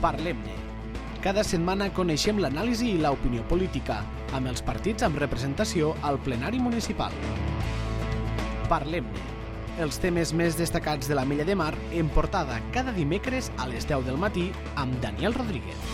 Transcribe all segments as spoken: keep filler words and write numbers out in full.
Parlem-ne. Cada setmana coneixem l'anàlisi i l'opinió política, amb els partits amb representació al plenari municipal. Parlem-ne. Els temes més destacats de la Mella de Mar en portada cada dimecres a les deu del matí amb Daniel Rodríguez.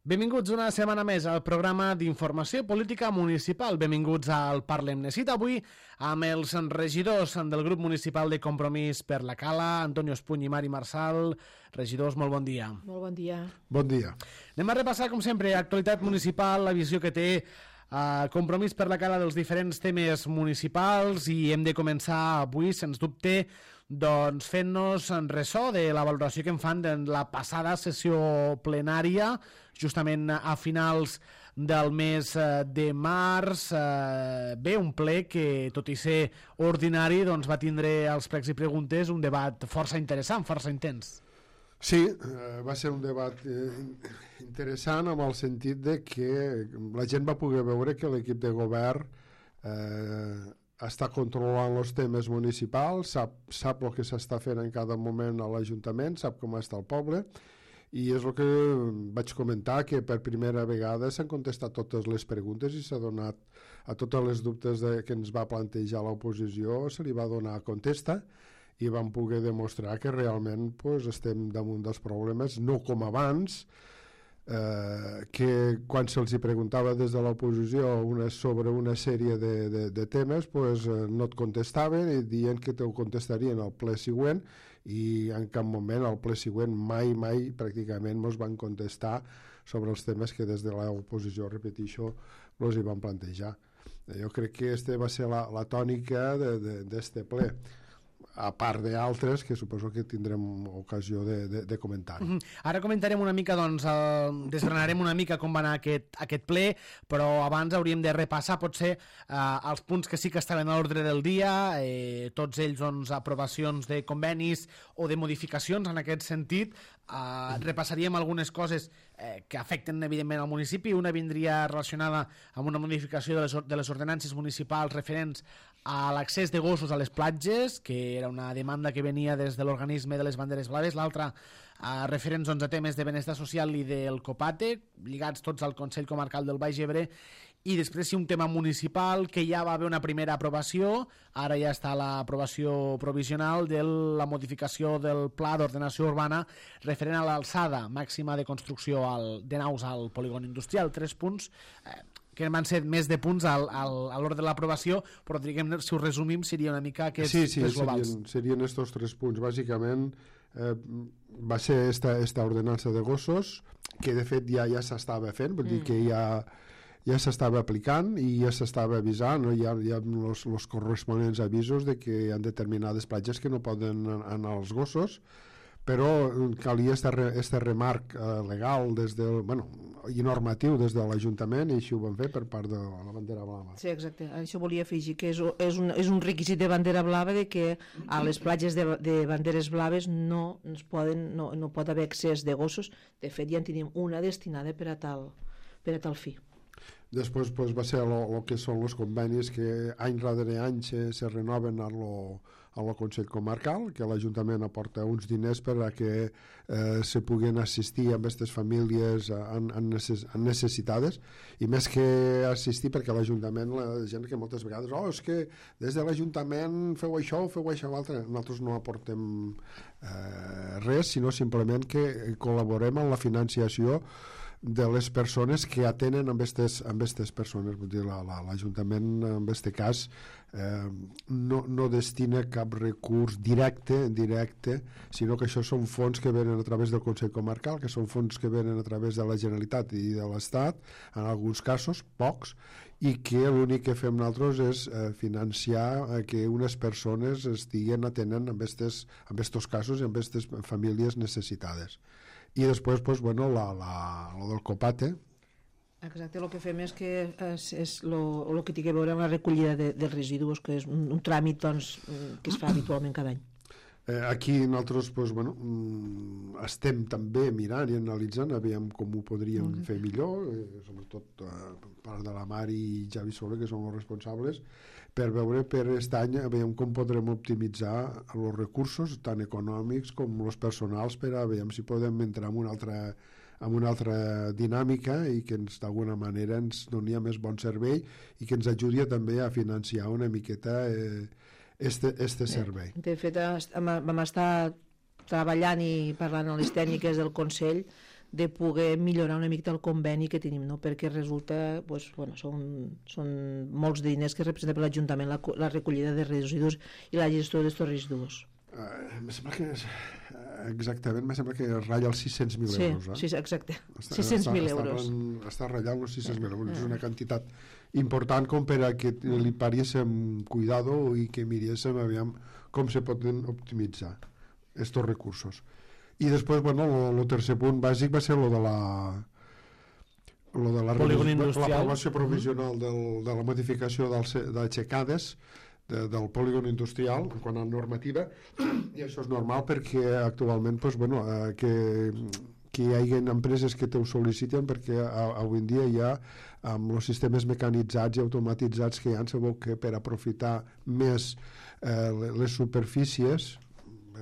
Benvinguts una setmana més al programa d'informació política municipal. Benvinguts al Parlem-ne. Cita avui amb els regidors del grup municipal de Compromís per la Cala, Antonio Espuny i Mari Marsal. Regidors, molt bon dia. Molt bon dia. Bon dia. Anem a repassar, com sempre, actualitat municipal, la visió que té Uh, Compromís per la Cala dels diferents temes municipals, i hem de començar avui, sens dubte, doncs fent-nos ressò de la valoració que en fan de la passada sessió plenària, justament a finals del mes de març. Uh, bé, un ple que, tot i ser ordinari, doncs va tindre als pregs i preguntes un debat força interessant, força intens. Sí, eh, va ser un debat eh, interessant en el sentit de que la gent va poder veure que l'equip de govern eh, està controlant els temes municipals, sap, sap el que s'està fent en cada moment a l'Ajuntament, sap com està el poble, i és el que vaig comentar, que per primera vegada s'han contestat totes les preguntes i s'ha donat a totes les dubtes de, que ens va plantejar l'oposició, se li va donar contesta, i vam poder demostrar que realment pues, estem damunt dels problemes, no com abans, eh, que quan se'ls preguntava des de l'oposició una, sobre una sèrie de, de, de temes pues, eh, no et contestaven i dient que te ho contestarien al ple següent, i en cap moment al ple següent mai, mai pràcticament ens van contestar sobre els temes que des de l'oposició, repeteixo, els hi van plantejar. Jo crec que aquesta va ser la, la tònica d'aquest ple, a part d'altres que suposo que tindrem ocasió de, de, de comentar. Mm-hmm. Ara comentarem una mica, doncs, el, desgranarem una mica com va anar aquest, aquest ple, però abans hauríem de repassar potser eh, els punts que sí que estaven a l'ordre del dia, eh, tots ells, doncs, aprovacions de convenis o de modificacions en aquest sentit. Eh, repassaríem algunes coses eh, que afecten evidentment al municipi. Una vindria relacionada amb una modificació de les, de les ordenances municipals referents a l'accés de gossos a les platges, que era una demanda que venia des de l'organisme de les banderes blaves. L'altra a referents doncs, a temes de benestar social i del COPATE, lligats tots al Consell Comarcal del Baix Ebre. I després sí, un tema municipal que ja va haver una primera aprovació, ara ja està l'aprovació provisional de la modificació del Pla d'Ordenació Urbana referent a l'alçada màxima de construcció al, de naus al polígon industrial. Tres punts eh, que van ser més de punts al, al, a l'ordre de l'aprovació, però diguem, si ho resumim seria una mica aquests sí, sí, tres globals. Serien, serien estos tres punts. Bàsicament eh, va ser esta, esta ordenança de gossos, que de fet ja, ja s'estava fent, vull mm. dir que ja ja s'estava aplicant i ja s'estava avisant, no? Hi ha, hi ha els, els corresponents avisos de que hi ha determinades platges que no poden anar als gossos, però calia este, este remarc eh, legal des del, bueno, i normatiu des de l'Ajuntament, i així ho van fer per part de la bandera blava. Sí, exacte. Això volia afegir, que és, és, un, és un requisit de bandera blava de que a les platges de, de banderes blaves no, ens poden, no, no pot haver accés de gossos. De fet, ja en tenim una destinada per a tal, per a tal fi. Després pues, va ser el que són els convenis que any rere any se, se renoven a lo, a lo Consell Comarcal, que l'Ajuntament aporta uns diners per a que eh, se puguen assistir amb aquestes famílies en, en, necess, en necessitades, i més que assistir, perquè l'Ajuntament, la gent que moltes vegades, oh, és que des de l'Ajuntament feu això, feu això, l'altre, nosaltres no aportem eh, res, sinó simplement que col·laborem en la financiació de les persones que atenen amb aquestes amb aquestes persones. Vull dir, l'Ajuntament en aquest cas eh, no, no destina cap recurs directe, directe, sinó que això són fons que venen a través del Consell Comarcal, que són fons que venen a través de la Generalitat i de l'Estat, en alguns casos, pocs, i que l'únic que fem nosaltres és eh, financiar eh, que unes persones estiguen atenent amb aquests amb aquests casos i amb aquestes famílies necessitades. I després, pues, bueno, la, la, la del COPATE. Exacte, el que fem és que és, és el que té a veure amb la recollida de, dels residus, que és un, un tràmit doncs, que es fa habitualment cada any. Eh, aquí nosaltres pues, bueno, mm, estem també mirant i analitzant aviam com ho podríem mm. fer millor, eh, sobretot eh, part de la Mar i Javi Soler, que són els responsables, per veure per aquest any aviam com podrem optimitzar els recursos, tant econòmics com els personals, per a veure si podem entrar en una altra amb una altra dinàmica i que ens d'alguna manera ens doni més bon servei i que ens ajudi també a financiar una miqueta eh, este, este servei. De fet, vam estar treballant i parlant amb les tècniques del Consell de poder millorar una mica el conveni que tenim, no? Perquè resulta, pues, bueno, són, són molts diners que representa per l'Ajuntament la, la recollida de residus i la gestió d'aquests residus. Uh, em sembla que és, uh, exactament, em sembla que ratlla els sis-cents mil sí, euros. Eh? Sí, exacte, sis-cents mil euros. Està, està ratllant els sis-cents mil euros, és una quantitat important com per a que li pariéssim cuidado i que miréssem aviam com se poden optimitzar estos recursos. I després, bueno, el tercer punt bàsic va ser lo de la lo de la l'aprovació provisional del, de la modificació d'aixecades de, del polígon industrial en quant a normativa, i això és normal perquè actualment pues, bueno, eh, que, que hi hagi empreses que t'ho sol·liciten perquè a, avui en dia hi ha amb els sistemes mecanitzats i automatitzats que hi ha, sabeu que per aprofitar més eh, les superfícies,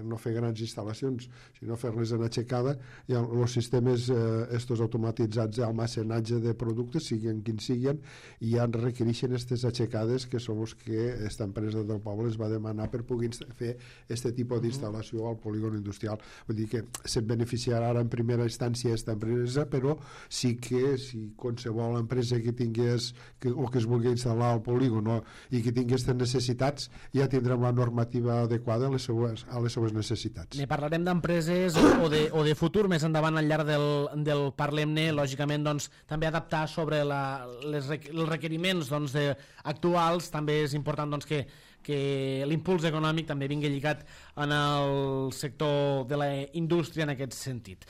no fer grans instal·lacions, sinó fer-les en aixecada, i els sistemes eh, estos automatitzats d'almacenatge de productes, siguin quins siguin, i ja requereixen aquestes aixecades que són els que aquesta empresa del poble es va demanar per poder fer aquest tipus d'instal·lació al polígon industrial. Vull dir que se'n beneficiarà ara en primera instància aquesta empresa, però sí que si qualsevol empresa que tingués que, o que es vulgui instal·lar al polígon, no, i que tingués aquestes necessitats, ja tindrem la normativa adequada a les seues, a les seues necessitats. Ne parlarem d'empreses o, de, o de futur més endavant al llarg del, del Parlem-ne, lògicament doncs, també adaptar sobre la, les, els requeriments doncs, de, actuals. També és important doncs, que, que l'impuls econòmic també vingui lligat en el sector de la indústria en aquest sentit.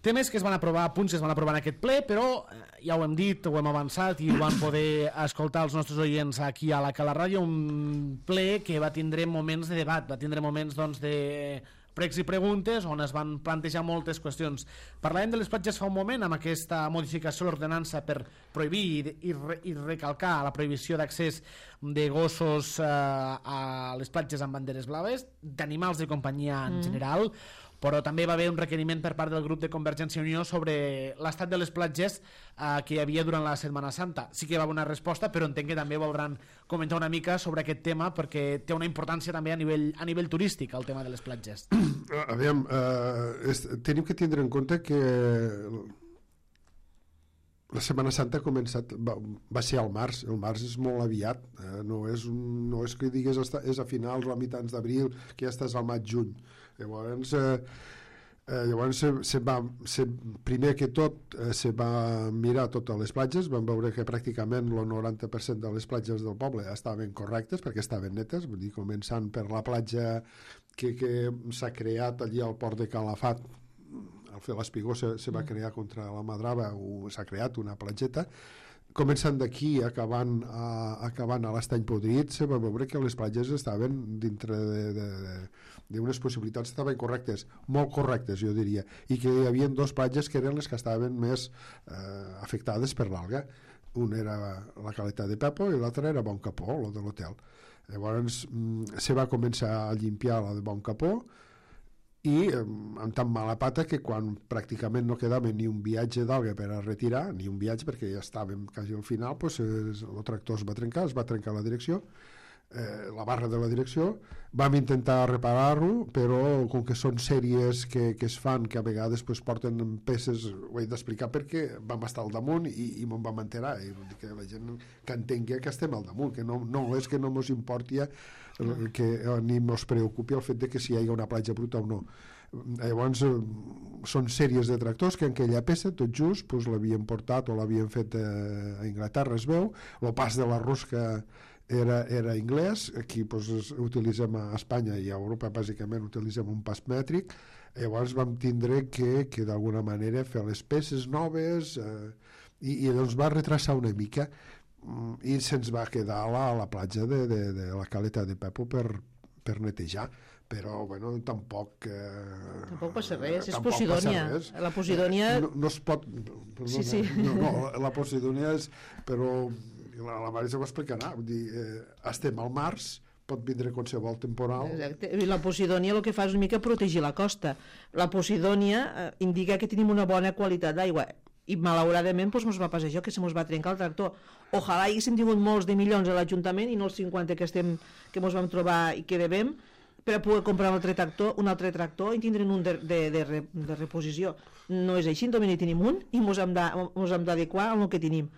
Temes que es van aprovar, punts que es van aprovar en aquest ple, però ja ho hem dit, ho hem avançat i ho van poder escoltar els nostres oients aquí a la Cala Ràdio, un ple que va tindre moments de debat, va tindre moments doncs, de pregs i preguntes on es van plantejar moltes qüestions. Parlàvem de les platges fa un moment amb aquesta modificació de l'ordenança per prohibir i, i, i recalcar la prohibició d'accés de gossos eh, a les platges amb banderes blaves, d'animals de companyia en mm. general, però també va haver un requeriment per part del grup de Convergència i Unió sobre l'estat de les platges eh, que hi havia durant la Setmana Santa. Sí que va haver una resposta, però entenc que també voldran comentar una mica sobre aquest tema perquè té una importància també a nivell, a nivell turístic el tema de les platges. Aviam, eh, és, tenim que tindre en compte que la Setmana Santa ha començat, va, va ser al març, el març és molt aviat, eh, no, és un, no és que digues és a finals o a mitjans d'abril, que ja estàs al maig-juny. Llavors, eh, eh, llavors se, se va, se, primer que tot eh, se va mirar totes les platges, vam veure que pràcticament el noranta per cent de les platges del poble estaven correctes perquè estaven netes, vull dir, començant per la platja que, que s'ha creat allí al port de Calafat, al fer l'Espigó se, se va crear contra la Madrava, s'ha creat una platgeta, començant d'aquí acabant a, acabant a l'Estany Podrit, se va veure que les platges estaven dintre d'unes possibilitats estaven correctes, molt correctes jo diria, i que hi havia dues platges que eren les que estaven més eh, afectades per l'alga. Una era la Caleta de Pepo i l'altra era Bon Capó, la de l'hotel. Llavors se va començar a limpiar la de Bon Capó i amb tan mala pata que quan pràcticament no quedava ni un viatge d'alga per a retirar, ni un viatge perquè ja estàvem quasi al final, doncs el tractor es va trencar, es va trencar la direcció, eh, la barra de la direcció, vam intentar reparar-lo, però com que són sèries que, que es fan, que a vegades pues, porten peces, ho he d'explicar perquè vam estar al damunt i, i me'n vam enterar, i que la gent que entengui que estem al damunt, que no, no és que no mos importi que ni mos preocupi el fet de que si hi ha una platja bruta o no. Llavors són sèries de tractors que en aquella peça tot just pues, l'havien portat o l'havien fet a Inglaterra, es veu, el pas de la rosca era, era anglès, aquí pues, utilitzem a Espanya i a Europa bàsicament utilitzem un pas mètric, llavors vam tindre que, que d'alguna manera fer les peces noves eh, i, i doncs va retrasar una mica i se'ns va quedar a la, a la platja de, de, de la Caleta de Pepo per, per netejar, però bueno, tampoc eh, tampoc passa res, és tampoc Posidònia passa res. la Posidònia no, no es pot perdona, sí, sí. No, no, la Posidònia és però la, la Marisa ho explicarà, vull dir, eh, estem al març, pot vindre qualsevol temporal. Exacte. I la Posidònia el que fa és una mica protegir la costa. La Posidònia eh, indica que tenim una bona qualitat d'aigua i malauradament doncs, mos va passar això, que se mos va trencar el tractor. Ojalà haguéssim tingut molts de milions a l'Ajuntament i no els cinquanta que, estem, que mos vam trobar i que devem, per a poder comprar un altre tractor, un altre tractor i tindre'n un de, de, de, re, de reposició. No és així, només tenim un i mos hem d'adequar al que tenim.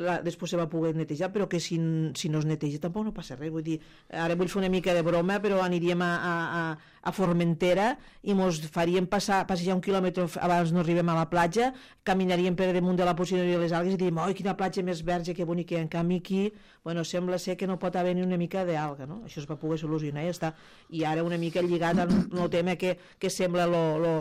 La, després se va poder netejar, però que si, si no es neteja tampoc no passa res. Vull dir, ara vull fer una mica de broma, però aniríem a, a, a Formentera i mos faríem passar, passejar un quilòmetre abans no arribem a la platja, caminaríem per damunt de la Posidònia de les algues i diríem, oi, quina platja més verge, que bonica. En canvi aquí, bueno, sembla ser que no pot haver ni una mica d'alga, no? Això es va poder solucionar i ja està. I ara una mica lligat al no tema que, que sembla lo, lo,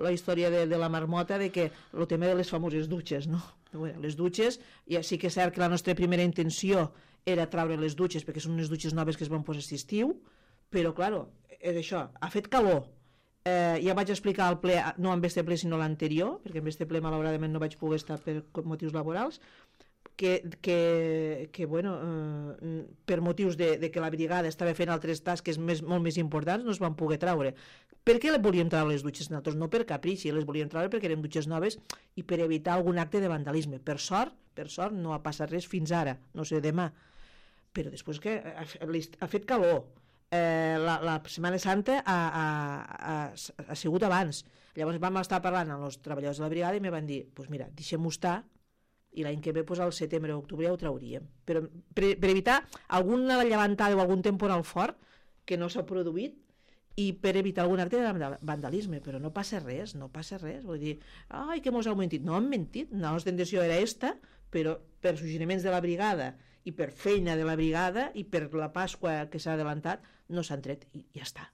la història de, de la marmota, de que el tema de les famoses dutxes, no? Bueno, les dutxes, ja sí que és cert que la nostra primera intenció era traure les dutxes perquè són unes dutxes noves que es van posar aquest estiu, però claro, és això, ha fet calor, eh, ja vaig explicar al ple, no en este ple sinó l'anterior, perquè en este ple malauradament no vaig poder estar per motius laborals, que, que, que bueno, eh, per motius de, de que la brigada estava fent altres tasques més, molt més importants, no es van poder traure. Per què les volíem treure les dutxes nosaltres? No per caprici, les volíem treure perquè eren dutxes noves i per evitar algun acte de vandalisme. Per sort, per sort no ha passat res fins ara, no sé demà. Però després que ha, ha fet calor, eh, la, la Setmana Santa ha, ha, ha, ha sigut abans. Llavors vam estar parlant amb els treballadors de la brigada i me van dir, doncs pues mira, deixem-ho estar i l'any que ve pues, al setembre o octubre ja ho trauríem. Però per, per evitar alguna llevantada o algun temporal fort que no s'ha produït, i per evitar algun acte de vandalisme, però no passa res, no passa res, vull dir, ai, que mos heu mentit, no han mentit, la nostra intenció era esta, però per suggeriments de la brigada i per feina de la brigada i per la Pasqua que s'ha adelantat, no s'han tret i ja està.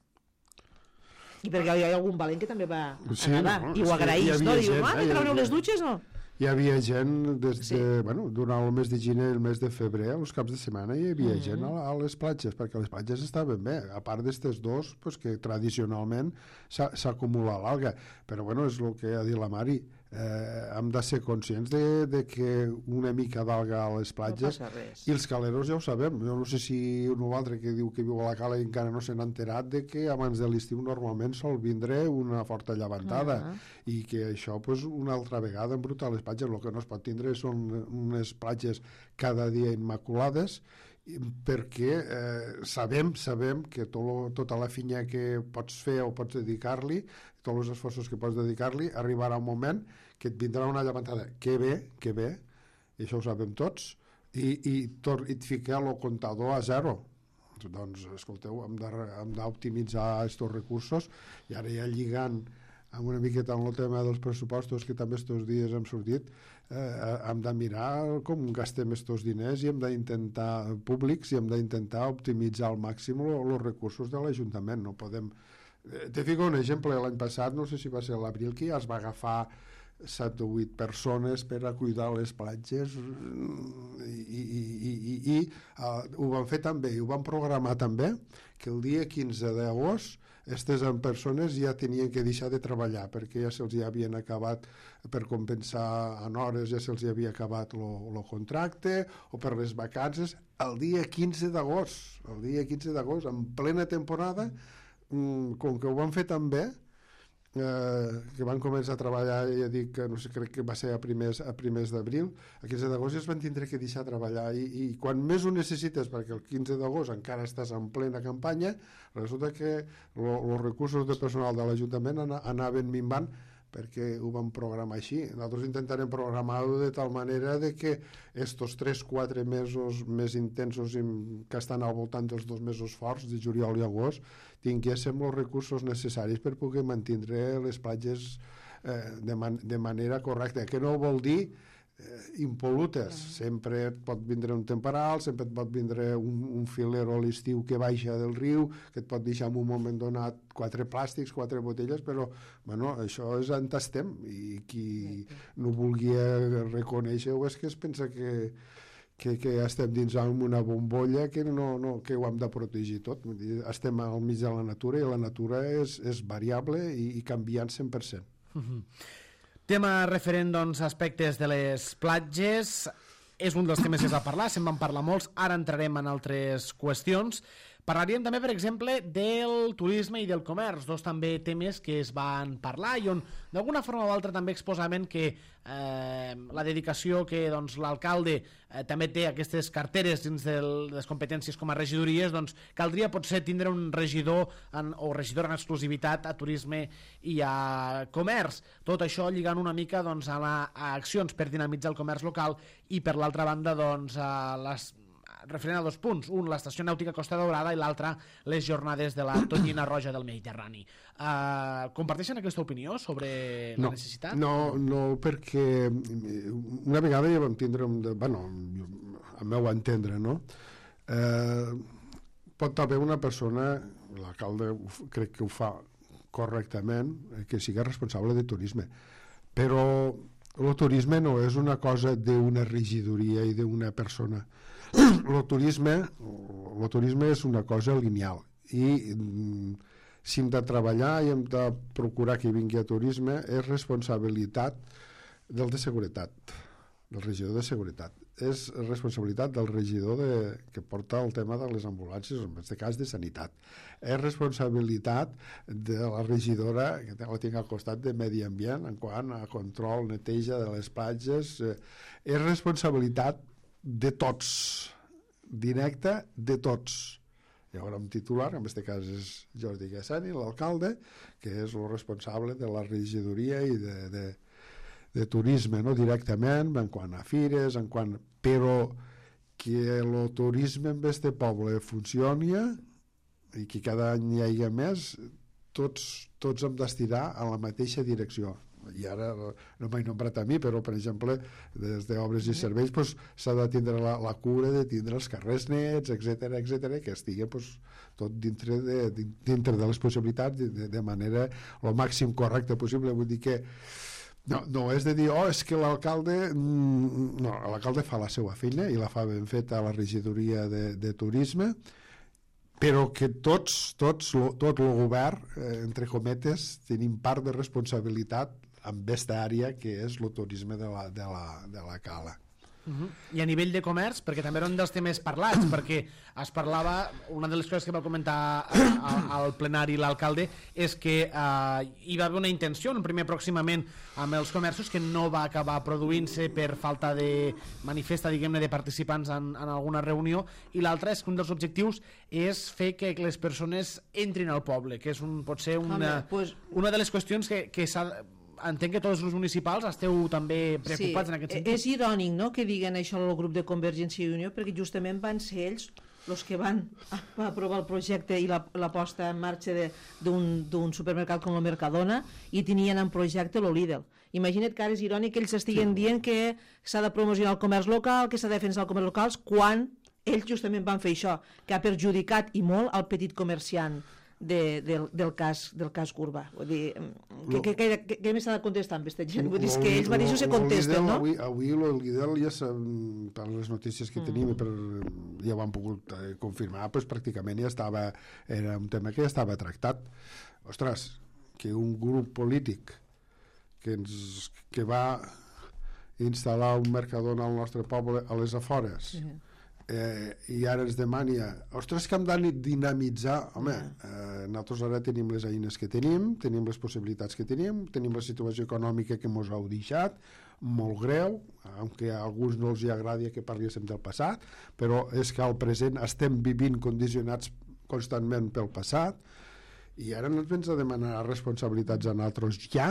I perquè hi ha algun valent que també va sí, anar no, i ho agraïs, no? Diu, ah, que traureu les dutxes, no? Hi havia gent des de, Sí. bueno, durant el mes de gener i el mes de febrer, els caps de setmana hi havia Mm. gent a, a les platges, perquè les platges estaven bé, a part d'estes dos, pues, que tradicionalment s'ha s'ha acumulat l'alga, però bueno, és el que ha dit la Mari, eh, hem de ser conscients de, de que una mica d'alga a les No platges, passa res. i els caleros ja ho sabem, jo no sé si un o altre que diu que viu a la cala i encara no se n'ha enterat de que abans de l'estiu normalment sol vindre una forta llevantada, Ah. i que això pues, una altra vegada embruta les platges. El que no es pot tindre són unes platges cada dia immaculades, perquè eh, sabem sabem que tot lo, tota la finya que pots fer o pots dedicar-li, tots els esforços que pots dedicar-li, arribarà un moment que et vindrà una llevantada que ve, que ve, i això ho sabem tots, i, i, tor i et fica el comptador a zero. Doncs, escolteu, hem d'optimitzar aquests recursos, i ara ja lligant amb una miqueta amb el tema dels pressupostos que també estos dies hem sortit, eh, hem de mirar com gastem estos diners i hem d'intentar, públics, i hem d'intentar optimitzar al màxim els recursos de l'Ajuntament. No podem... Eh, te fico un exemple, l'any passat, no sé si va ser l'abril, que ja es va agafar set o vuit persones per a cuidar les platges i, i, i, i, i uh, ho van fer també, i ho van programar també, que el dia quinze d'agost aquestes persones ja tenien que deixar de treballar perquè ja se'ls havien acabat, per compensar en hores, ja se'ls havia acabat el contracte, o per les vacances, el dia quinze d'agost, el dia quinze d'agost, en plena temporada, com que ho van fer tan bé, Eh, que van començar a treballar, ja dic que no sé, crec que va ser a primers, a primers d'abril, a quinze d'agost ja es van tindre que deixar treballar, i, i quan més ho necessites, perquè el quinze d'agost encara estàs en plena campanya, resulta que els recursos de personal de l'Ajuntament anaven minvant perquè ho vam programar així. Nosaltres intentarem programar-ho de tal manera de que estos tres quatre mesos més intensos que estan al voltant dels dos mesos forts de juliol i agost tinguéssim els recursos necessaris per poder mantenir les platges eh, de, man de manera correcta, que no vol dir eh, impolutes. Uh-huh. Sempre et pot vindre un temporal, sempre et pot vindre un, un filero a l'estiu que baixa del riu, que et pot deixar en un moment donat quatre plàstics, quatre botelles, però bueno, això és on estem, i qui no vulgui reconèixer-ho és que es pensa que que, que estem dins d'una bombolla que, no, no, que ho hem de protegir tot. Vull dir, estem al mig de la natura i la natura és, és variable i, i canviant cent per cent. Uh-huh. Tema referent, doncs, aspectes de les platges. És un dels temes que es va parlar, se'n van parlar molts, ara entrarem en altres qüestions. Parlaríem també, per exemple, del turisme i del comerç, dos també temes que es van parlar i on d'alguna forma o altra també exposaven que eh, la dedicació que doncs, l'alcalde eh, també té aquestes carteres dins de les competències com a regidories, doncs caldria potser tindre un regidor en, o regidora en exclusivitat a turisme i a comerç. Tot això lligant una mica doncs, a, la, a accions per dinamitzar el comerç local i per l'altra banda doncs, a les referent a dos punts, un l'estació nàutica Costa Daurada i l'altre les jornades de la Tonyina Roja del Mediterrani. Uh, comparteixen aquesta opinió sobre no, la necessitat? No, no, perquè una vegada ja vam tindre, un de, bueno, al meu entendre, no? Eh, pot haver una persona, l'alcalde crec que ho fa correctament, que sigui responsable de turisme, però el turisme no és una cosa d'una regidoria i d'una persona. El turisme, el turisme és una cosa lineal i si hem de treballar i hem de procurar que vingui a turisme és responsabilitat del de seguretat, del regidor de seguretat. És responsabilitat del regidor de, que porta el tema de les ambulàncies, en aquest cas de sanitat. És responsabilitat de la regidora, que la tinc al costat de Medi Ambient, en quant a control, neteja de les platges. És responsabilitat de tots, directa de tots. Hi haurà un titular, en aquest cas és Jordi Gassani, l'alcalde, que és el responsable de la regidoria i de, de, de turisme, no? Directament, en quant a fires, en quant... però que el turisme en aquest poble funcioni i que cada any hi hagi més, tots, tots hem d'estirar a la mateixa direcció. I ara no m'he nombrat a mi, però per exemple des d'obres i serveis pues, s'ha de tindre la, la cura de tindre els carrers nets, etc etc, que estigui pues, tot dintre de, dintre de les possibilitats de, de manera el màxim correcta possible. Vull dir que no, no és de dir, oh, és que l'alcalde no, l'alcalde fa la seva feina i la fa ben feta a la regidoria de, de turisme, però que tots, tots tot el govern, eh, entre cometes, tenim part de responsabilitat en aquesta àrea que és el turisme de la, de la, de la cala. Uh-huh. I a nivell de comerç, perquè també era un dels temes parlats, perquè es parlava, una de les coses que va comentar al plenari l'alcalde és que eh, hi va haver una intenció, un primer pròximament amb els comerços que no va acabar produint-se per falta de manifesta, diguem-ne, de participants en, en alguna reunió, i l'altre és que un dels objectius és fer que les persones entrin al poble, que és un, potser una, Home, pues... una de les qüestions que, que s'ha... Entenc que tots els municipals esteu també preocupats sí, en aquest sentit. És irònic, no?, que diguen això al grup de Convergència i Unió, perquè justament van ser ells els que van aprovar el projecte i la, la posta en marxa d'un supermercat com el Mercadona i tenien en projecte el Lidl. Imagina't que ara és irònic que ells estiguen sí. dient que s'ha de promocionar el comerç local, que s'ha de defensar el comerç local, quan ells justament van fer això, que ha perjudicat i molt el petit comerciant De, del, del, cas, del cas Gurba. Vull dir, què, què, què, què, què més s'ha de contestar amb aquesta gent? Vull dir, és que ells mateixos se contesten, no? Avui, avui el Lidl ja per les notícies que mm. tenim per, ja ho han pogut eh, confirmar, pues, pràcticament ja estava, era un tema que ja estava tractat. Ostres, que un grup polític que, ens, que va instal·lar un Mercadona al nostre poble a les afores, mm. Eh, i ara ens demani, ostres, que hem de dinamitzar. Home, eh, nosaltres ara tenim les eines que tenim, tenim les possibilitats que tenim, tenim la situació econòmica que ens heu deixat, molt greu, aunque a alguns no els agradi que parléssim del passat, però és que al present estem vivint condicionats constantment pel passat, i ara no ens vens a demanar responsabilitats a nosaltres ja,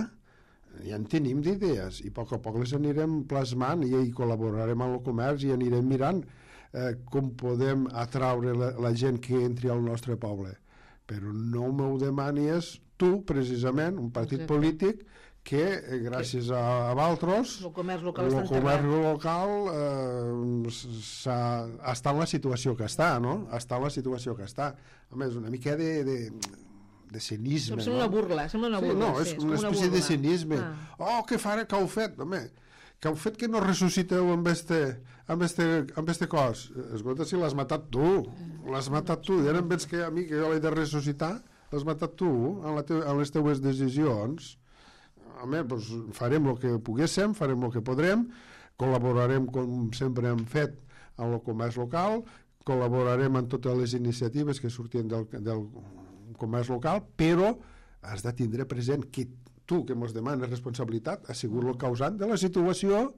ja en tenim d'idees, i a poc a poc les anirem plasmant i, i col·laborarem amb el comerç i anirem mirant Eh, com podem atraure la, la gent que entri al nostre poble. Però no m'ho demanis tu, precisament, un partit Exacte. polític que, eh, gràcies a, a Valtros, el comerç local, el comerç local eh, està en la situació que està, no? Està en la situació que està. A més, una mica de... de de cinisme, sembla no? una burla, sembla una burla. Sí, no, és sí, una és espècie una de cinisme. Ah. Oh, que farà que heu fet? Home, que el fet que no ressusciteu amb este, amb este, amb este cos, escolta, si l'has matat tu, l'has matat tu, i ara em veig que a mi que jo l'he de ressuscitar, l'has matat tu, en, la te en les teues decisions. Home, doncs farem el que poguéssim, farem el que podrem, col·laborarem com sempre hem fet amb el comerç local, col·laborarem en totes les iniciatives que surtin del, del comerç local, però has de tindre present que tu, que ens demanes responsabilitat, has sigut el causant de la situació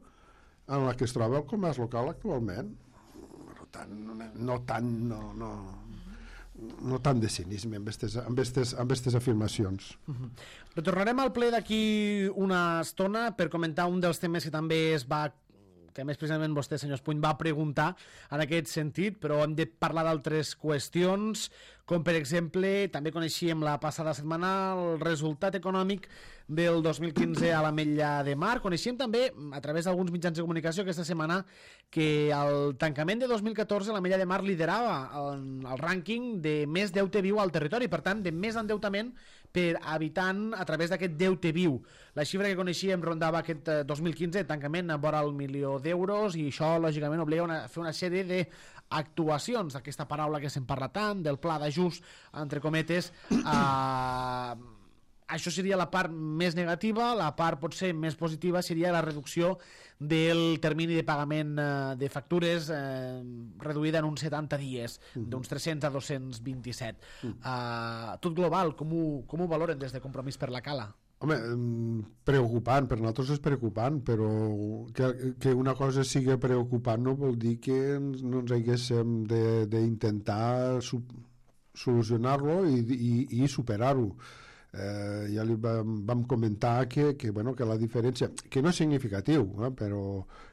en la que es troba el comerç local actualment. Per tant, no tant, no, no, no tant de cinisme amb aquestes amb estes, amb estes afirmacions. Uh-huh. Retornarem al ple d'aquí una estona per comentar un dels temes que també es va que més precisament vostè, senyor Espuny, va preguntar en aquest sentit, però hem de parlar d'altres qüestions, com per exemple, també coneixíem la passada setmana el resultat econòmic del dos mil quinze a l'Ametlla de Mar. Coneixíem també, a través d'alguns mitjans de comunicació aquesta setmana, que al tancament de dos mil catorze l'Ametlla de Mar liderava el, el rànquing de més deute viu al territori, per tant, de més endeutament per habitant a través d'aquest deute viu. La xifra que coneixíem rondava aquest dos mil quinze, tancament a vora el milió d'euros, i això, lògicament, obliga a fer una sèrie d'actuacions, aquesta paraula que se'n parla tant, del pla d'ajust, entre cometes. Eh, això seria la part més negativa. La part potser més positiva seria la reducció del termini de pagament eh, de factures eh, reduïda en uns setanta dies, uh-huh. d'uns tres-cents a dos-cents vint-i-set. Uh-huh. Eh, tot global, com ho, com ho valoren des de Compromís per la Cala? Home, preocupant, per nosaltres és preocupant, però que, que una cosa sigui preocupant no vol dir que ens, no ens haguéssim d'intentar solucionar-lo i, i, i superar-ho. Eh, ja li vam, vam comentar que, que, bueno, que la diferència, que no és significatiu, eh, però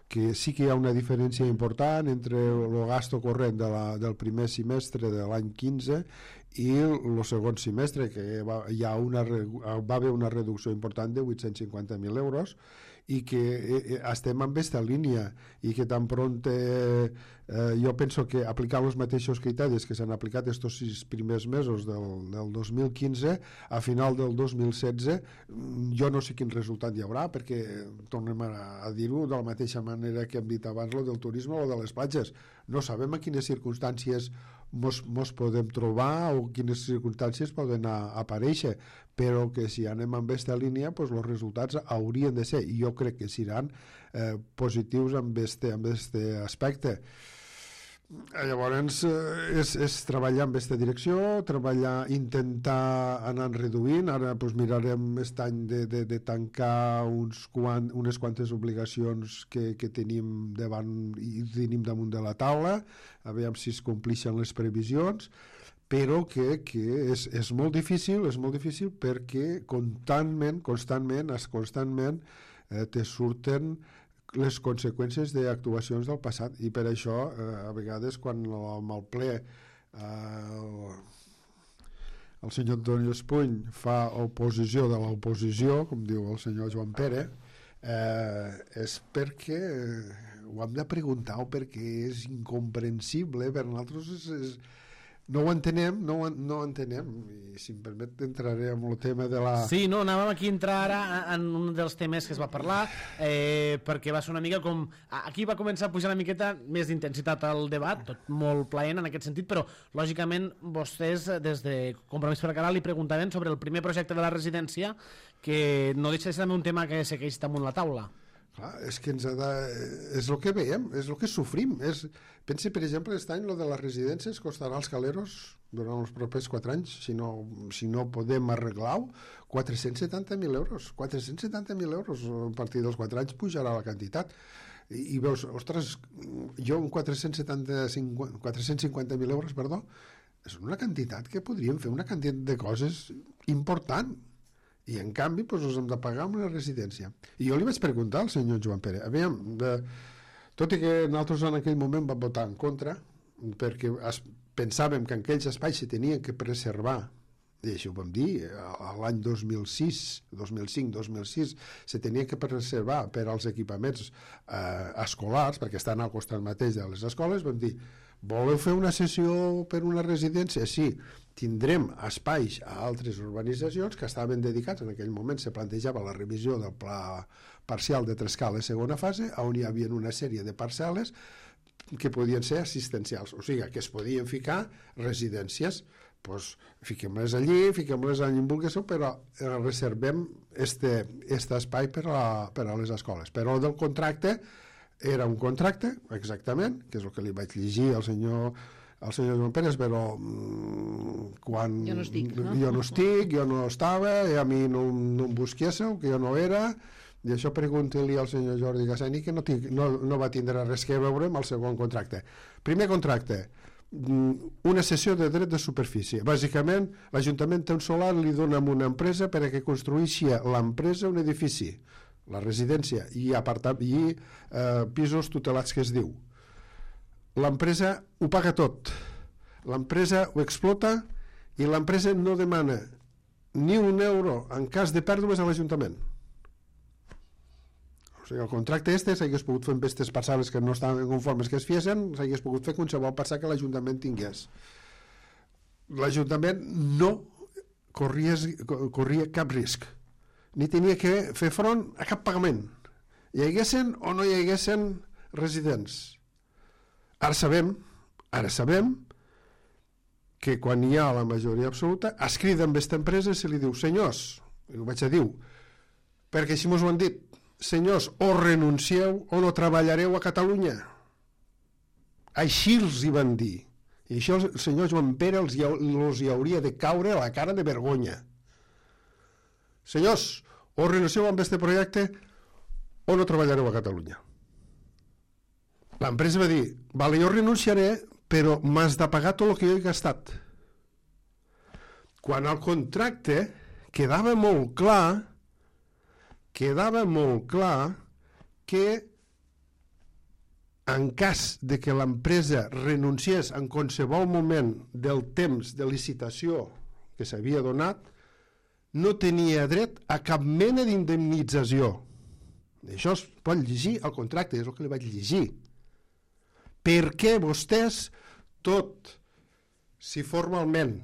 que sí que hi ha una diferència important entre el gasto corrent de la, del primer semestre de l'any quinze i el segon semestre, que va, hi ha una, va haver una reducció important de vuit-cents cinquanta mil euros, i que eh, estem en aquesta línia, i que tan pront eh, eh, jo penso que aplicant els mateixos criteris que s'han aplicat estos sis primers mesos del, del dos mil quinze, a final del dos mil setze jo no sé quin resultat hi haurà, perquè tornem a, a dir-ho de la mateixa manera que hem dit abans, lo del turisme o de les platges, no sabem a quines circumstàncies mos, mos podem trobar o quines circumstàncies poden a, aparèixer, però que si anem amb aquesta línia, pues, els resultats haurien de ser, i jo crec que seran eh, positius amb este, amb este aspecte. Llavors eh, és, és treballar en aquesta direcció, treballar, intentar anar reduint. Ara pues, mirarem aquest any de, de, de tancar uns quant, unes quantes obligacions que, que tenim davant i tenim damunt de la taula, a veure si es complixen les previsions, però que, que és, és molt difícil, és molt difícil perquè constantment, constantment, constantment eh, te surten les conseqüències d'actuacions del passat, i per això eh, a vegades quan amb el ple eh, el senyor Antoni Espuny fa oposició de l'oposició, com diu el senyor Joan Pere, eh, és perquè ho hem de preguntar o perquè és incomprensible per nosaltres, és, és no ho entenem, no ho, no ho entenem, i si em permet entraré en el tema de la... Sí, no, anàvem aquí a entrar ara en un dels temes que es va parlar, eh, perquè va ser una mica com... Aquí va començar a pujar una miqueta més d'intensitat al debat, tot molt plaent en aquest sentit, però lògicament vostès des de Compromís per la Cala li preguntaven sobre el primer projecte de la residència, que no deixa de ser també un tema que segueix damunt la taula. Clar, és que ens ha de... és el que veiem, és el que sofrim. És... Pensi, per exemple, aquest any lo de les residències costarà als caleros durant els propers quatre anys, si no, si no podem arreglar-ho, quatre-cents setanta mil euros. quatre-cents setanta mil euros a partir dels quatre anys pujarà la quantitat. I, i veus, ostres, jo un quatre-cents cinquanta mil euros, perdó, és una quantitat que podríem fer una quantitat de coses important. I en canvi doncs, us hem de pagar una residència. I jo li vaig preguntar al senyor Joan Pere, aviam, de, tot i que nosaltres en aquell moment vam votar en contra, perquè es, pensàvem que en aquells espais se tenien que preservar, i això ho vam dir, l'any dos mil sis, dos mil cinc, dos mil sis, se tenia que preservar per als equipaments eh, escolars, perquè estan al costat mateix de les escoles, vam dir, voleu fer una sessió per una residència? Sí, tindrem espais a altres urbanitzacions que estaven dedicats, en aquell moment se plantejava la revisió del pla parcial de Trescales segona fase, on hi havia una sèrie de parcel·les que podien ser assistencials, o sigui, que es podien ficar residències, doncs fiquem-les allí, fiquem-les allí en vulgueu, però reservem este, este espai per a, per a les escoles. Però el del contracte era un contracte, exactament, que és el que li vaig llegir al senyor al senyor Joan Pérez, però mmm, quan jo no estic, no? jo no estic, jo no estava, i a mi no, no em busquéssiu, que jo no era, i això pregunti-li al senyor Jordi Gassani, que no, tinc, no, no va tindre res que veure amb el segon contracte. Primer contracte, una cessió de dret de superfície. Bàsicament, l'Ajuntament té un solar, li dona a una empresa perquè construeixi l'empresa un edifici, la residència, i, apartat, i eh, pisos tutelats, que es diu. L'empresa ho paga tot. L'empresa ho explota i l'empresa no demana ni un euro en cas de pèrdues a l'Ajuntament. O sigui, el contracte este s'hagués pogut fer amb aquestes parcel·les que no estaven conformes que es fiessin, s'hagués pogut fer qualsevol parcel·la que l'Ajuntament tingués. L'Ajuntament no corria, corria cap risc, ni tenia que fer front a cap pagament, hi haguessin o no hi haguessin residents. Ara sabem, ara sabem que quan hi ha la majoria absoluta es crida amb aquesta empresa i se li diu, senyors, i ho vaig a dir, perquè així mos ho han dit, senyors, o renuncieu o no treballareu a Catalunya. Així els hi van dir. I això el senyor Joan Pere els hi, els hi hauria de caure a la cara de vergonya. Senyors, o renuncieu amb aquest projecte o no treballareu a Catalunya. L'empresa va dir, vale, jo renunciaré, però m'has de pagar tot el que jo he gastat. Quan al contracte quedava molt clar quedava molt clar que en cas de que l'empresa renunciés en qualsevol moment del temps de licitació que s'havia donat, no tenia dret a cap mena d'indemnització. Això es pot llegir al contracte, és el que li vaig llegir. Perquè vostès, tot, si formalment,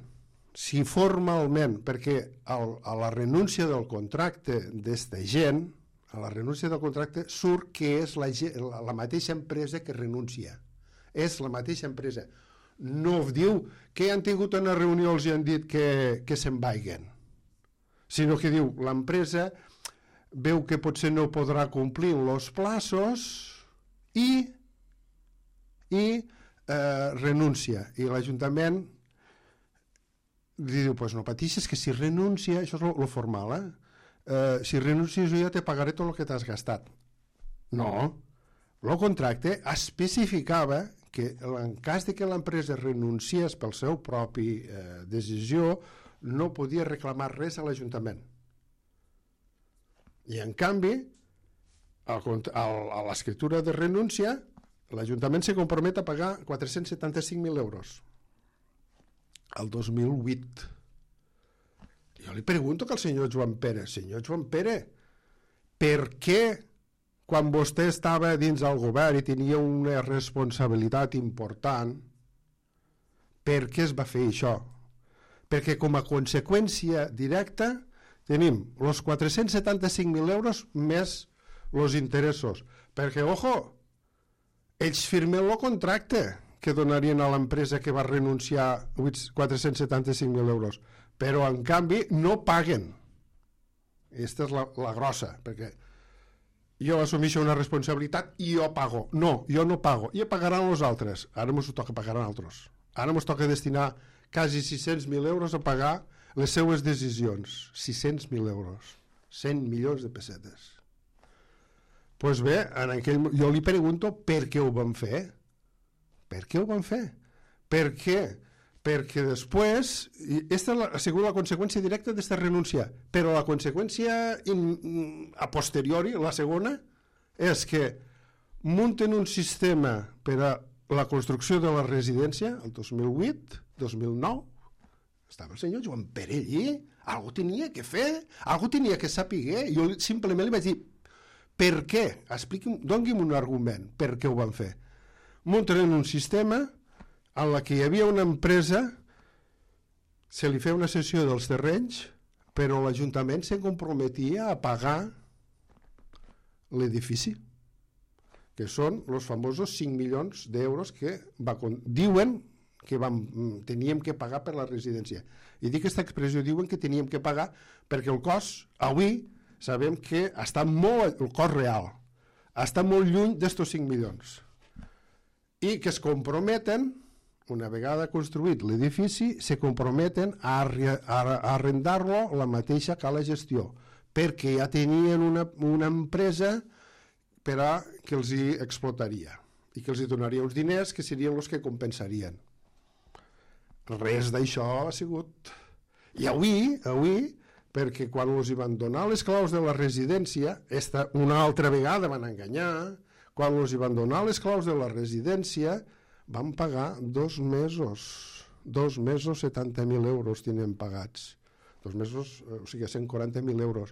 si formalment, perquè el, a la renúncia del contracte d'esta gent, a la renúncia del contracte surt que és la, la, la mateixa empresa que renuncia. És la mateixa empresa. No diu que han tingut una reunió, els han dit que, que se'n vagin, sinó que diu l'empresa veu que potser no podrà complir els plaços i, i eh, renuncia. I l'Ajuntament diu, pues no pateixes, que si renuncia, això és lo formal, eh? Eh, si renuncies jo ja te pagaré tot el que t'has gastat. No, el contracte especificava que en cas de que l'empresa renunciés pel seu propi eh, decisió, no podia reclamar res a l'Ajuntament. I en canvi, al, al, a l'escriptura de renúncia, l'Ajuntament se compromet a pagar quatre-cents setanta-cinc mil euros. El dos mil vuit. Jo li pregunto que al senyor Joan Pere, senyor Joan Pere, per què quan vostè estava dins del govern i tenia una responsabilitat important, per què es va fer això? Perquè com a conseqüència directa tenim els quatre-cents setanta-cinc mil euros més els interessos. Perquè, ojo, ells firmen el contracte que donarien a l'empresa que va renunciar quatre-cents setanta-cinc mil euros, però en canvi no paguen. Aquesta és la, la grossa, perquè jo assumeixo una responsabilitat i jo pago. No, jo no pago, i pagaran els altres. Ara ens toca pagar a altres. Ara ens toca destinar quasi sis-cents mil euros a pagar les seues decisions. sis-cents mil euros. cent milions de pessetes. Doncs pues bé, en aquell, jo li pregunto per què ho van fer. Per què ho van fer? Per què? Perquè després, i aquesta ha sigut la conseqüència directa d'esta renúncia, però la conseqüència in, a posteriori, la segona, és que munten un sistema per a la construcció de la residència el dos mil vuit, dos mil nou, estava el senyor Joan Pere allí, algú tenia que fer, algú tenia que saber, jo simplement li vaig dir, per què? Expliqui'm, doni'm un argument per què ho van fer. Munten un sistema en la que hi havia una empresa se li feia una cessió dels terrenys, però l'Ajuntament se comprometia a pagar l'edifici, que són els famosos cinc milions d'euros que va, diuen que vam, teníem que pagar per la residència. I dic aquesta expressió, diuen que teníem que pagar perquè el cost, avui, sabem que està molt, el cost real, està molt lluny d'estos cinc milions. I que es comprometen, una vegada construït l'edifici, se comprometen a, a, a arrendar-lo la mateixa que la gestió, perquè ja tenien una, una empresa per a que els hi explotaria i que els hi donaria uns diners que serien els que compensarien. Res d'això ha sigut. I avui, avui, perquè quan els hi van donar les claus de la residència, esta, una altra vegada van enganyar, quan els hi van donar les claus de la residència, van pagar dos mesos, dos mesos setanta mil euros tenen pagats, dos mesos, o sigui, cent quaranta mil euros.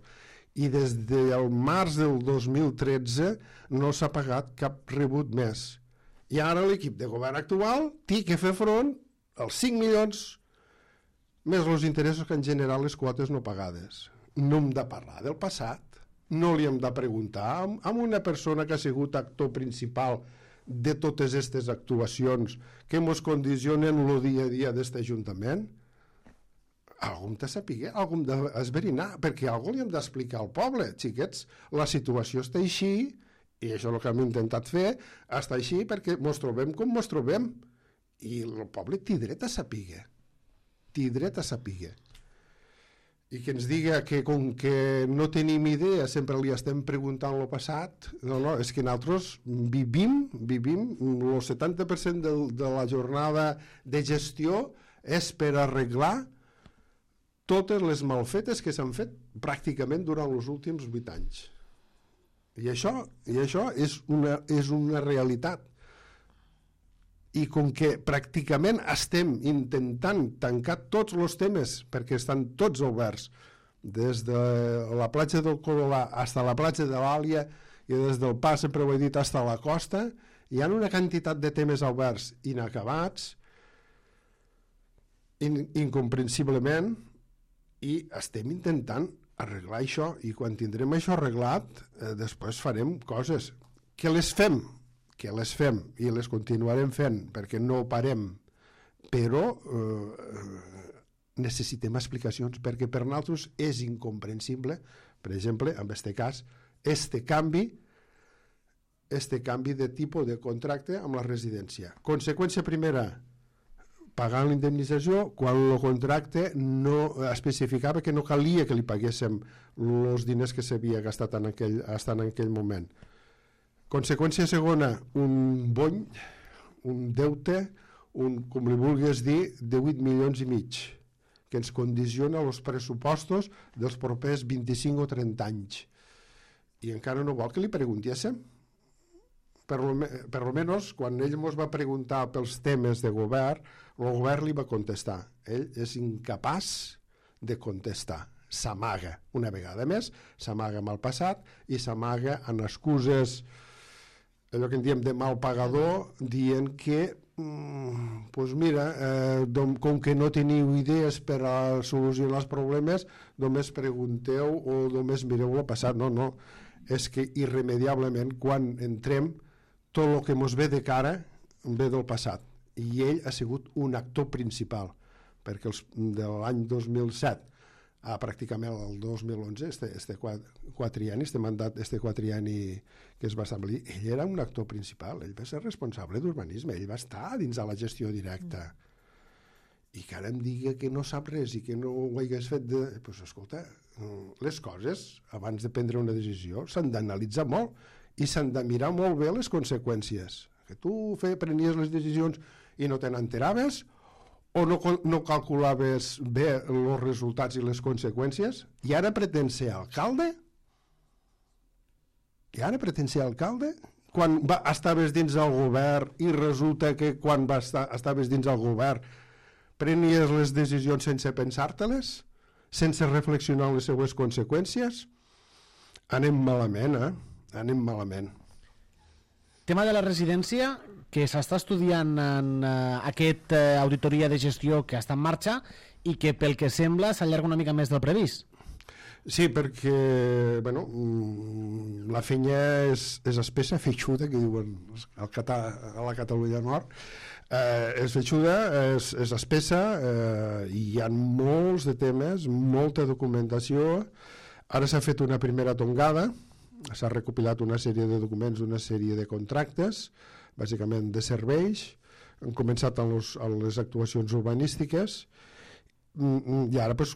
I des del març del dos mil tretze no s'ha pagat cap rebut més. I ara l'equip de govern actual té que fer front als cinc milions més els interessos que han generat les quotes no pagades. No hem de parlar del passat, no li hem de preguntar a una persona que ha sigut actor principal de totes aquestes actuacions que ens condicionen el dia a dia d'aquest Ajuntament. Algú hem de saber, algú hem d'esverinar, perquè algú li hem d'explicar al poble. Xiquets, la situació està així, i això és el que hem intentat fer, està així perquè ens trobem com ens trobem. I el poble té dret a saber, té dret a saber. I que ens diga que com que no tenim idea, sempre li estem preguntant el passat, no, no, és que nosaltres vivim, vivim, el setanta per cent de, de la jornada de gestió és per arreglar totes les malfetes que s'han fet pràcticament durant els últims vuit anys. I això, i això és, una, és una realitat. I com que pràcticament estem intentant tancar tots els temes, perquè estan tots oberts, des de la platja del Corolà fins a la platja de l'Àlia i des del Pas, sempre ho he dit, fins a la costa, hi ha una quantitat de temes oberts inacabats, in, incomprensiblement, i estem intentant arreglar això, i quan tindrem això arreglat, eh, després farem coses. Que les fem, que les fem, i les continuarem fent, perquè no parem, però eh, necessitem explicacions, perquè per nosaltres és incomprensible, per exemple, en aquest cas, este canvi, este canvi de tipus de contracte amb la residència. Conseqüència primera, pagant l'indemnització quan el contracte no especificava que no calia que li paguéssim els diners que s'havia gastat en aquell, en aquell moment. Conseqüència segona, un bony, un deute, un, com li vulguis dir, de vuit milions i mig, que ens condiciona els pressupostos dels propers vint-i-cinc o trenta anys. I encara no vol que li preguntéssim? Per almenys, quan ell ens va preguntar pels temes de govern, el govern li va contestar. Ell és incapaç de contestar. S'amaga, una vegada més, s'amaga amb el passat i s'amaga en excuses, allò que en diem de mal pagador, dient que, mm, pues mira, eh, com que no teniu idees per a solucionar els problemes, només pregunteu o només mireu el passat. No, no, és que irremediablement quan entrem tot el que ens ve de cara ve del passat, i ell ha sigut un actor principal, perquè els, de l'any dos mil set a pràcticament el dos mil onze, este, este quatrienni, este mandat, este quatrienni que es va establir, ell era un actor principal, ell va ser responsable d'urbanisme, ell va estar dins de la gestió directa. I que ara em digui que no sap res i que no ho hagués fet de... Doncs pues, escolta, les coses, abans de prendre una decisió, s'han d'analitzar molt i s'han de mirar molt bé les conseqüències. Que tu fe, prenies les decisions i no te n'enteraves, o no, no calculaves bé els resultats i les conseqüències, i ara pretén ser alcalde? I ara pretén ser alcalde? Quan va, estaves dins del govern i resulta que quan va estar, estaves dins del govern prenies les decisions sense pensar-te-les? Sense reflexionar les seues conseqüències? Anem malament, eh? Anem malament. Tema de la residència, que s'està estudiant en uh, aquest uh, auditoria de gestió que està en marxa i que pel que sembla s'allarga una mica més del previst. Sí, perquè bueno, la feina és, és espessa, feixuda, que diuen al Catà, a la Catalunya Nord. Eh, és feixuda, és, és espessa, eh, i hi ha molts de temes, molta documentació. Ara s'ha fet una primera tongada, s'ha recopilat una sèrie de documents, una sèrie de contractes, bàsicament de serveis. Han començat amb, los, amb les actuacions urbanístiques, i ara pues,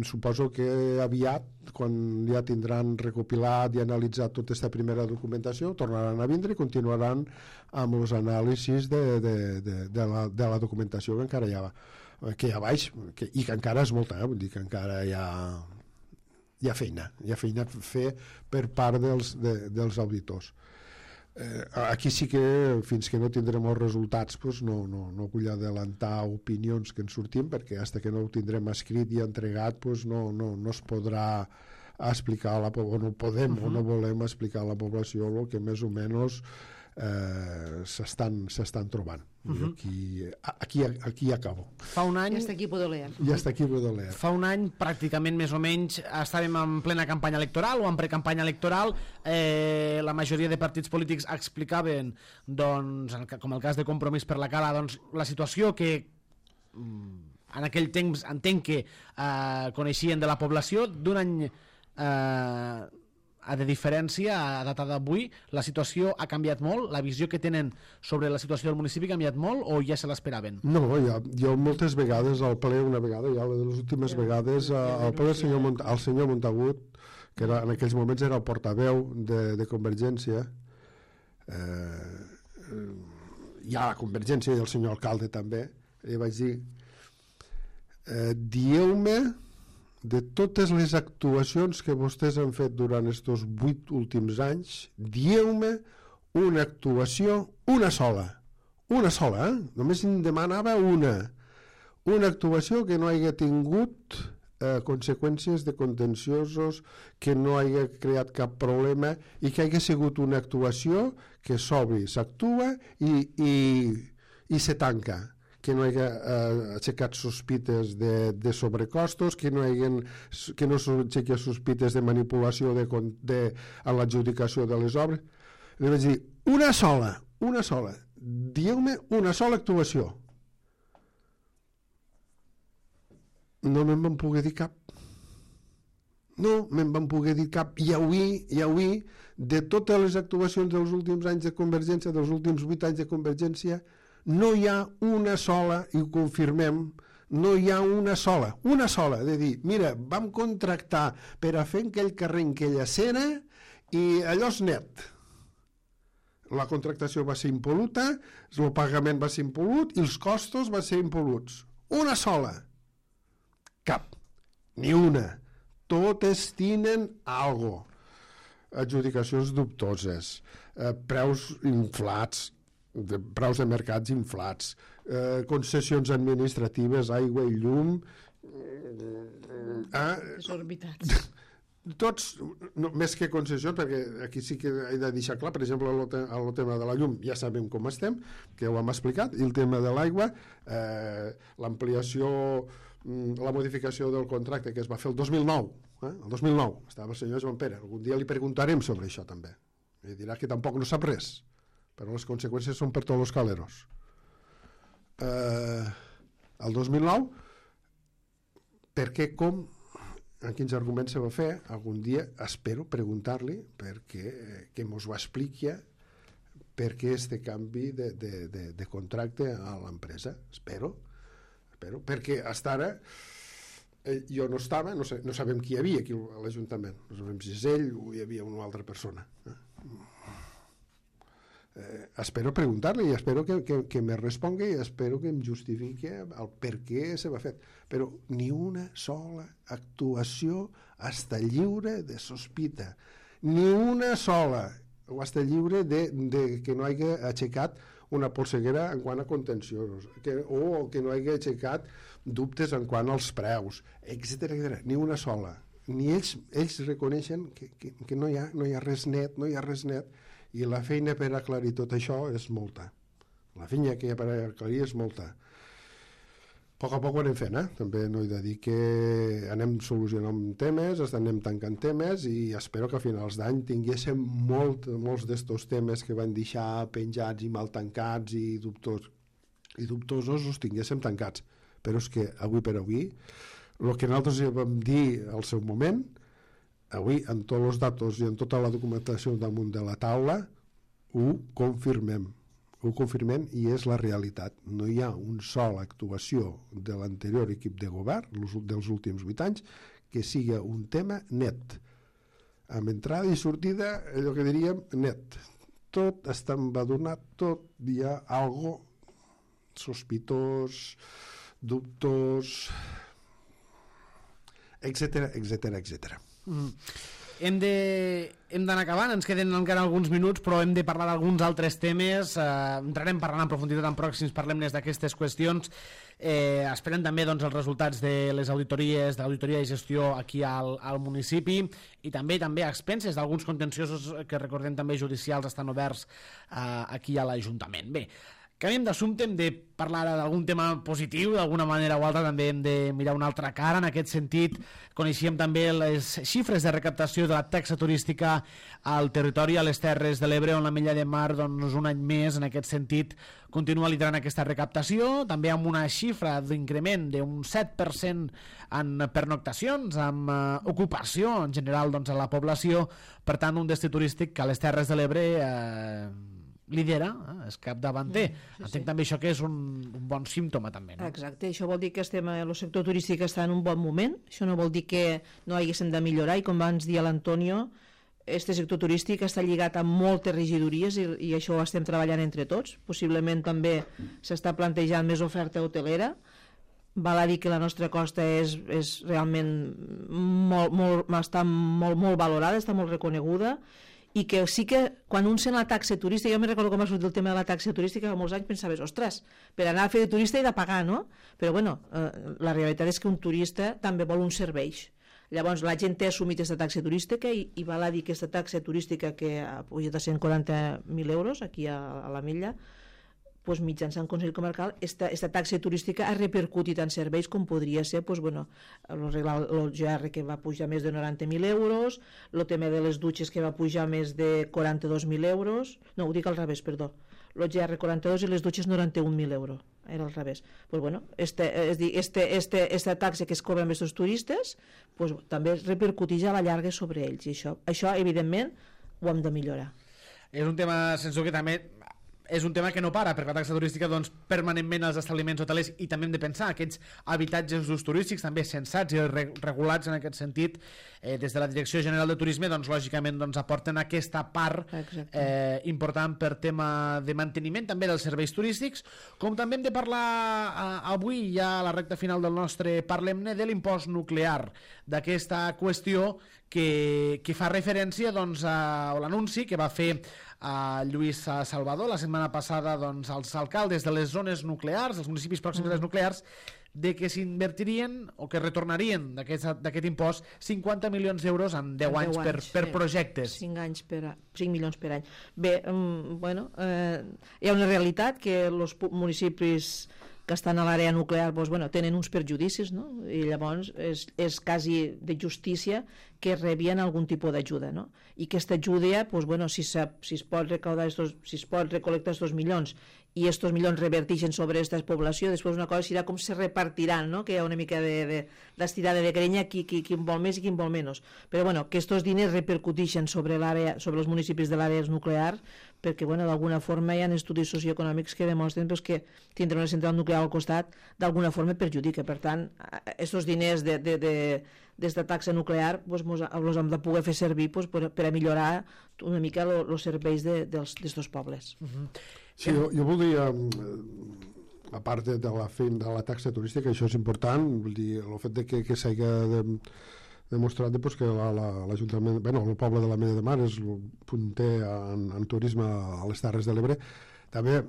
suposo que aviat, quan ja tindran recopilat i analitzat tota aquesta primera documentació, tornaran a vindre i continuaran amb els anàlisis de, de, de, de, la, de la documentació que encara hi ha, que hi ha baix, que, i que encara és molta, eh? Vull dir que encara hi ha, hi ha feina, hi ha feina a fer per part dels, de, dels auditors. Eh, aquí sí que fins que no tindrem els resultats pues no, no, no vull adelantar opinions que ens sortim, perquè fins que no ho tindrem escrit i entregat pues no, no, no es podrà explicar a la, o no podem uh-huh. o no volem explicar a la població el que més o menys eh, s'estan s'estan trobant. Uh-huh. aquí, aquí, aquí acabo. Fa un any... I hasta aquí Baudelaire. I hasta aquí Baudelaire. Fa un any, pràcticament més o menys, estàvem en plena campanya electoral o en precampanya electoral. Eh, la majoria de partits polítics explicaven, doncs, com el cas de Compromís per la Cala, doncs, la situació que en aquell temps entenc que eh, coneixien de la població. D'un any eh, de diferència, a data d'avui, la situació ha canviat molt? La visió que tenen sobre la situació del municipi ha canviat molt o ja se l'esperaven? No, ja, jo moltes vegades al ple, una vegada, ja de les últimes ja, vegades, ja, al ple el senyor, Mont el senyor Montagut, que era, en aquells moments era el portaveu de, de Convergència, eh, hi ha la Convergència i el senyor alcalde també, i vaig dir, eh, dieu-me de totes les actuacions que vostès han fet durant aquests vuit últims anys, dieu-me una actuació, una sola, una sola, eh? Només em demanava una, una actuació que no hagi tingut eh, conseqüències de contenciosos, que no hagi creat cap problema i que hagi sigut una actuació que s'obri, s'actua i, i, i se tanca, que no hagi eh, aixecat sospites de, de sobrecostos, que no hagin, que no s'aixequi sospites de manipulació de, de, en l'adjudicació de les obres. Li vaig dir, una sola, una sola, dieu-me una sola actuació. No me'n van poder dir cap. No me'n van poder dir cap. I avui, i avui, de totes les actuacions dels últims anys de Convergència, dels últims vuit anys de Convergència, no hi ha una sola, i ho confirmem, no hi ha una sola, una sola, de dir, mira, vam contractar per a fer aquell carrer, aquella escena, i allò és net. La contractació va ser impol·luta, el pagament va ser impol·lut i els costos van ser impol·luts. Una sola. Cap. Ni una. Totes tenen algo. Adjudicacions dubtoses, eh, preus inflats, de preus de mercats inflats, eh, concessions administratives, aigua i llum, eh, desorbitats. Tots, no, més que concessions, perquè aquí sí que he de deixar clar, per exemple, el, te el tema de la llum, ja sabem com estem, que ho hem explicat, i el tema de l'aigua, eh, l'ampliació, la modificació del contracte que es va fer el dos mil nou, eh, el dos mil nou, estava el senyor Joan Pere, algun dia li preguntarem sobre això també, i dirà que tampoc no sap res, però les conseqüències són per tots els caleros. Eh, el dos mil nou, per què, com, en quins arguments se va fer, algun dia espero preguntar-li perquè que mos ho expliqui per què este canvi de, de, de, de contracte a l'empresa. Espero, espero, perquè fins ara eh, jo no estava, no, sé, no sabem qui hi havia aquí a l'Ajuntament, no sabem si és ell o hi havia una altra persona. Eh? Eh, espero preguntar-li i espero que, que, que me respongui i espero que em justifiqui el per què se va fer, però ni una sola actuació està lliure de sospita, ni una sola o està lliure de, de que no hagi aixecat una polseguera en quant a contenciosos, que, o que no hagi aixecat dubtes en quant als preus, etcètera, ni una sola, ni ells, ells reconeixen que, que, que no, hi ha, no hi ha res net, no hi ha res net, i la feina per aclarir tot això és molta, La vinya que hi ha per aclarir és molta. A poc a poc ho anem fent, eh? També no he de dir que anem solucionant temes, anem tancant temes i espero que a finals d'any tinguéssim molt, molts d'estos temes que van deixar penjats i mal tancats i, dubtos, i dubtosos els tinguéssim tancats. Però és que avui per avui, el que nosaltres vam dir al seu moment, avui amb tots els datos i amb tota la documentació damunt de la taula, ho confirmem. Ho confirmem i és la realitat. No hi ha un sol actuació de l'anterior equip de govern, dels últims vuit anys, que siga un tema net. Amb entrada i sortida, allò que diríem, net. Tot està embadurnat, tot hi ha algo sospitós, dubtós, etcètera, etcètera, etcètera. Mm. Hem de, hem d'anar acabant, ens queden encara alguns minuts, però hem de parlar d'alguns altres temes. Eh, entrarem parlant en profunditat en pròxims parlem-ne d'aquestes qüestions. Eh, esperem també doncs, els resultats de les auditories, de l'auditoria de gestió aquí al, al municipi i també també a expenses d'alguns contenciosos que recordem també judicials estan oberts eh, aquí a l'Ajuntament. Bé, canviem d'assumpte, hem de parlar d'algun tema positiu, d'alguna manera o altra també hem de mirar una altra cara. En aquest sentit, coneixíem també les xifres de recaptació de la taxa turística al territori, a les Terres de l'Ebre, on l'Ametlla de Mar, doncs, un any més, en aquest sentit, continua liderant aquesta recaptació, també amb una xifra d'increment d'un set per cent en pernoctacions, amb eh, ocupació en general doncs, a la població, per tant, un destí turístic que a les Terres de l'Ebre eh, lidera, eh, és capdavanter. Mm, sí, Entenc sí. també això que és un, un bon símptoma també, no? Exacte, això vol dir que estem, el sector turístic està en un bon moment, això no vol dir que no haguéssim de millorar, i com abans dir a l'Antonio, este sector turístic està lligat a moltes regidories i, i això ho estem treballant entre tots. Possiblement també s'està plantejant més oferta hotelera. Val a dir que la nostra costa és, és realment molt, molt, està molt, molt valorada, està molt reconeguda, i que sí que quan un sent la taxa turística, jo me recordo com va sortir el tema de la taxa turística, fa molts anys pensaves, ostres, per anar a fer de turista he de pagar, no? Però bueno, eh, la realitat és que un turista també vol uns serveis. Llavors la gent té assumit aquesta taxa turística i, i val a dir que aquesta taxa turística que ha pujat a cent quaranta mil euros aquí a, a la Milla, pues, mitjançant Consell Comarcal, esta, esta taxa turística ha repercutit en serveis com podria ser pues, bueno, el G R que va pujar més de noranta mil euros, el tema de les dutxes que va pujar més de quaranta-dos mil euros, no, ho dic al revés, perdó, el G R quaranta-dos i les dutxes noranta-un mil euros, era al revés. Pues, bueno, este, és dir, este, este, esta taxa que es cobra amb aquests turistes pues, també repercuteix a la llarga sobre ells, i això, això evidentment ho hem de millorar. És un tema, sense que també és un tema que no para, perquè la taxa turística doncs, permanentment als establiments hotelers, i també hem de pensar aquests habitatges d'ús turístics també sensats i regulats en aquest sentit, eh, des de la Direcció General de Turisme doncs, lògicament doncs, aporten aquesta part eh, important per tema de manteniment també dels serveis turístics, com també hem de parlar eh, avui ja a la recta final del nostre Parlem-ne de l'impost nuclear, d'aquesta qüestió que, que fa referència doncs, a l'anunci que va fer a Lluís Salvador la setmana passada doncs, als alcaldes de les zones nuclears, dels municipis pròxims mm. a les nuclears, de que s'invertirien o que retornarien d'aquest impost cinquanta milions d'euros en deu anys, anys per, per sí. projectes. cinc anys per a, cinc milions per any. Bé, um, bueno, eh, hi ha una realitat que els municipis que estan a l'àrea nuclear doncs, bueno, tenen uns perjudicis, no? I llavors és, és quasi de justícia que rebien algun tipus d'ajuda, no? I aquesta ajuda, doncs, bueno, si, si es pot recaudar estos, si es pot recol·lectar estos milions i estos milions revertixen sobre aquesta població, després una cosa serà com se repartiran, no? Que hi ha una mica d'estirada de, de, de grenya, qui, qui, qui vol més i qui vol menys. Però bueno, que estos diners repercutixen sobre, sobre els municipis de l'àrea nuclear, perquè bueno, d'alguna forma hi ha estudis socioeconòmics que demostren pues, que tindre una central nuclear al costat d'alguna forma perjudica. Per tant, aquests diners de, de, de, d'esta taxa nuclear pues, els hem de poder fer servir pues, per, per a millorar una mica els serveis d'estos pobles. Uh-huh. Sí, jo, jo voldria, a part de la feina de la taxa turística, això és important, vull dir, el fet de que, que s'hagi de, demostrat pues, que l'Ajuntament, la, bueno, el poble de la Mella de Mar és punter en, en turisme a les Terres de l'Ebre, també,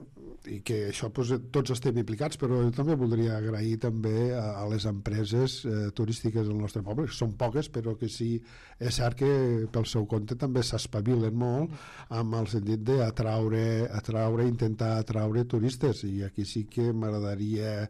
i que això doncs, tots estem implicats, però jo també voldria agrair també a, a les empreses eh, turístiques del nostre poble, que són poques, però que sí, és cert que pel seu compte també s'espavilen molt amb el sentit d'atraure, atraure, intentar atraure turistes, i aquí sí que m'agradaria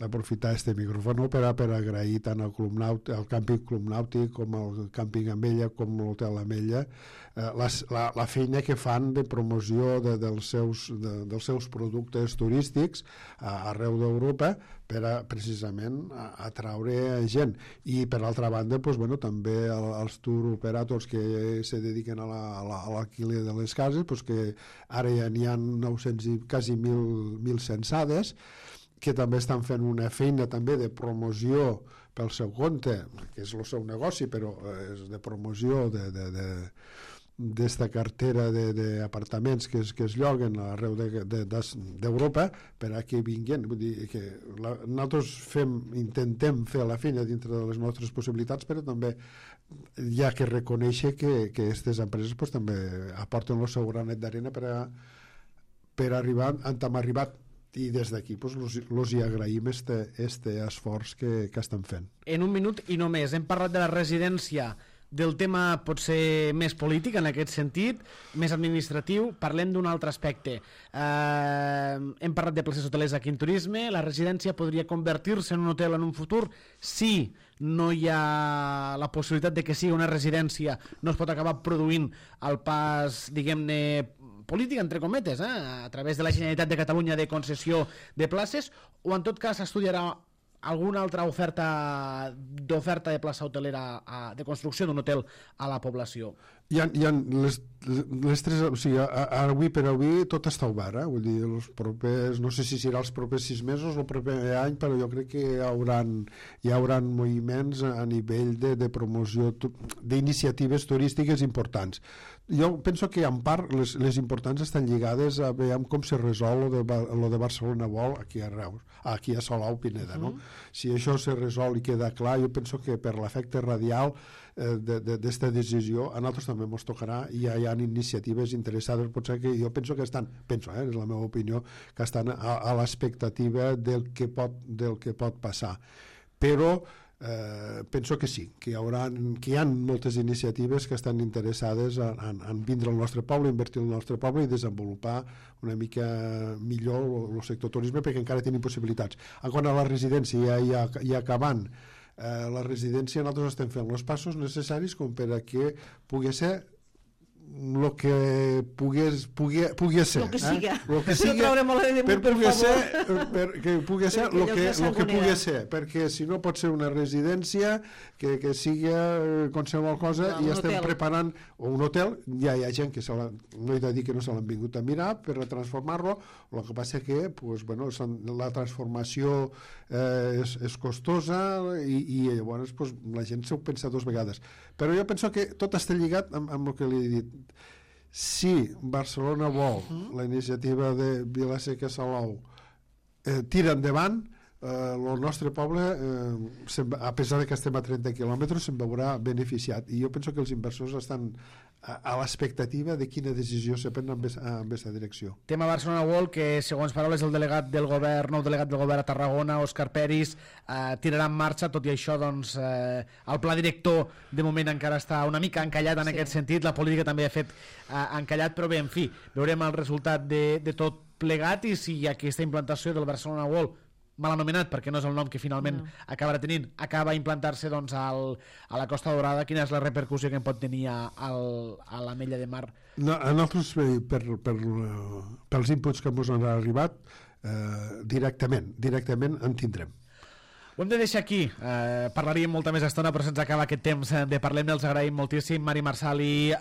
aprofitar este micròfon per, a, per agrair tant al, Club Nàutic, al càmping Club Nàutic com al càmping Amella com l'hotel Amella eh, la, la, la feina que fan de promoció de, dels, seus, de, dels seus productes turístics a, arreu d'Europa per a, precisament a, a atraure gent, i per altra banda pues, bueno, també el, els tour operators que se dediquen a l'alquiler la, a la, de les cases, pues, que ara ja n'hi ha nou-cents i quasi mil censades, que també estan fent una feina també de promoció pel seu compte, que és el seu negoci, però és de promoció de, de, de, d'esta cartera d'apartaments que, es, que es lloguen arreu d'Europa de, de, per a que vinguin. Vull dir que la, nosaltres fem, intentem fer la feina dintre de les nostres possibilitats, però també hi ha que reconèixer que aquestes empreses pues, també aporten el seu granet d'arena per, a, per arribar on hem arribat, i des d'aquí pues, los, los hi agraïm este, este esforç que, que estan fent. En un minut i no més, hem parlat de la residència, del tema pot ser més polític en aquest sentit, més administratiu. Parlem d'un altre aspecte. Eh, hem parlat de places hotelers aquí en turisme. La residència podria convertir-se en un hotel en un futur si no hi ha la possibilitat de que sigui una residència, no es pot acabar produint el pas, diguem-ne, política, entre cometes, eh? A través de la Generalitat de Catalunya de concessió de places, o en tot cas s'estudiarà alguna altra oferta d'oferta de plaça hotelera a, de construcció d'un hotel a la població? Hi ha, hi ha les, les tres, o sigui, ara avui per avui tot està obert, eh? Vull dir, els propers, no sé si serà els propers sis mesos o el proper any, però jo crec que hi haurà, hi haurà moviments a nivell de, de promoció d'iniciatives turístiques importants. Jo penso que en part les, les importants estan lligades a veure com se resol lo de, lo de Barcelona World aquí a Reus, aquí a Salou Pineda, no? Uh-huh. Si això se resol i queda clar, jo penso que per l'efecte radial eh, d'esta de, decisió a nosaltres també ens tocarà, i ja hi ha iniciatives interessades, potser que jo penso que estan, penso, eh, és la meva opinió, que estan a, a l'expectativa del que pot, del que pot passar. Però Eh, penso que sí, que hi, haurà, que hi ha moltes iniciatives que estan interessades en, en, en vindre al nostre poble, invertir al nostre poble i desenvolupar una mica millor el, el sector turisme, perquè encara tenim possibilitats. En quant a la residència, ja, ja, ja acabant eh, la residència, nosaltres estem fent els passos necessaris com per a que pugui ser el que pogués, pugui, pugui ser, el que siga, eh? Lo que siga no de per, per pugui favor. ser, per, que pugui ser el que, lo que pugui ser, perquè si no pot ser una residència que, que sigui qualsevol cosa, no, i estem hotel. preparant o un hotel, ja hi ha gent que se la, no he de dir que no se l'han vingut a mirar per a transformar-lo, el que passa que pues, bueno, la transformació eh, és, és costosa i, i llavors pues, la gent s'ho pensa dues vegades, però jo penso que tot està lligat amb, amb el que li he dit. Si Barcelona vol, uh-huh. la iniciativa de Vila-seca Salou eh, tira endavant, eh, el nostre poble, eh, a pesar de que estem a trenta quilòmetres, se'n veurà beneficiat, i jo penso que els inversors estan a, a l'expectativa de quina decisió se pren amb aquesta direcció. Tema Barcelona World, que segons paraules del delegat del govern, nou delegat del govern a Tarragona, Òscar Peris, eh, tirarà en marxa. Tot i això, doncs, eh, el pla director de moment encara està una mica encallat en sí. aquest sentit, la política també ha fet eh, encallat, però bé, en fi, veurem el resultat de, de tot plegat, i si aquesta implantació del Barcelona World, mal anomenat perquè no és el nom que finalment no. acabarà tenint, acaba a implantar-se doncs, al, a la Costa Daurada, quina és la repercussió que en pot tenir a, al, a l'Ametlla de Mar? No, a nosaltres, per, per, pels inputs que ens han arribat, eh, directament, directament en tindrem. Ho hem de deixar aquí, eh, parlaríem molta més estona, però se'ns acaba aquest temps de parlem. Els agraïm moltíssim, Mari Marçal i eh,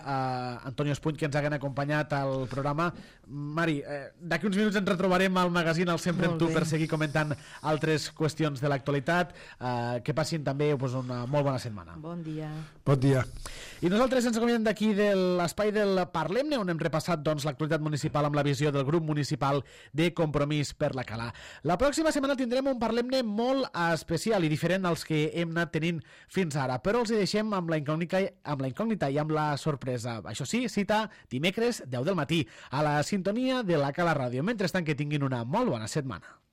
Antonio Espuny, que ens haguen acompanyat al programa. Mari, eh, d'aquí uns minuts ens retrobarem al magazín El Sempre amb tu per seguir comentant altres qüestions de l'actualitat. Eh, que passin també pues, una molt bona setmana. Bon dia. Bon dia. I nosaltres ens acomiadem d'aquí de l'espai del Parlem-ne, on hem repassat doncs, l'actualitat municipal amb la visió del grup municipal de Compromís per la Cala. La pròxima setmana tindrem un Parlem-ne molt especial, especial i diferent dels que hem anat tenint fins ara, però els hi deixem amb la incògnita, amb la incògnita i amb la sorpresa. Això sí, cita dimecres deu del matí a la sintonia de la Cala Ràdio. Mentrestant, que tinguin una molt bona setmana.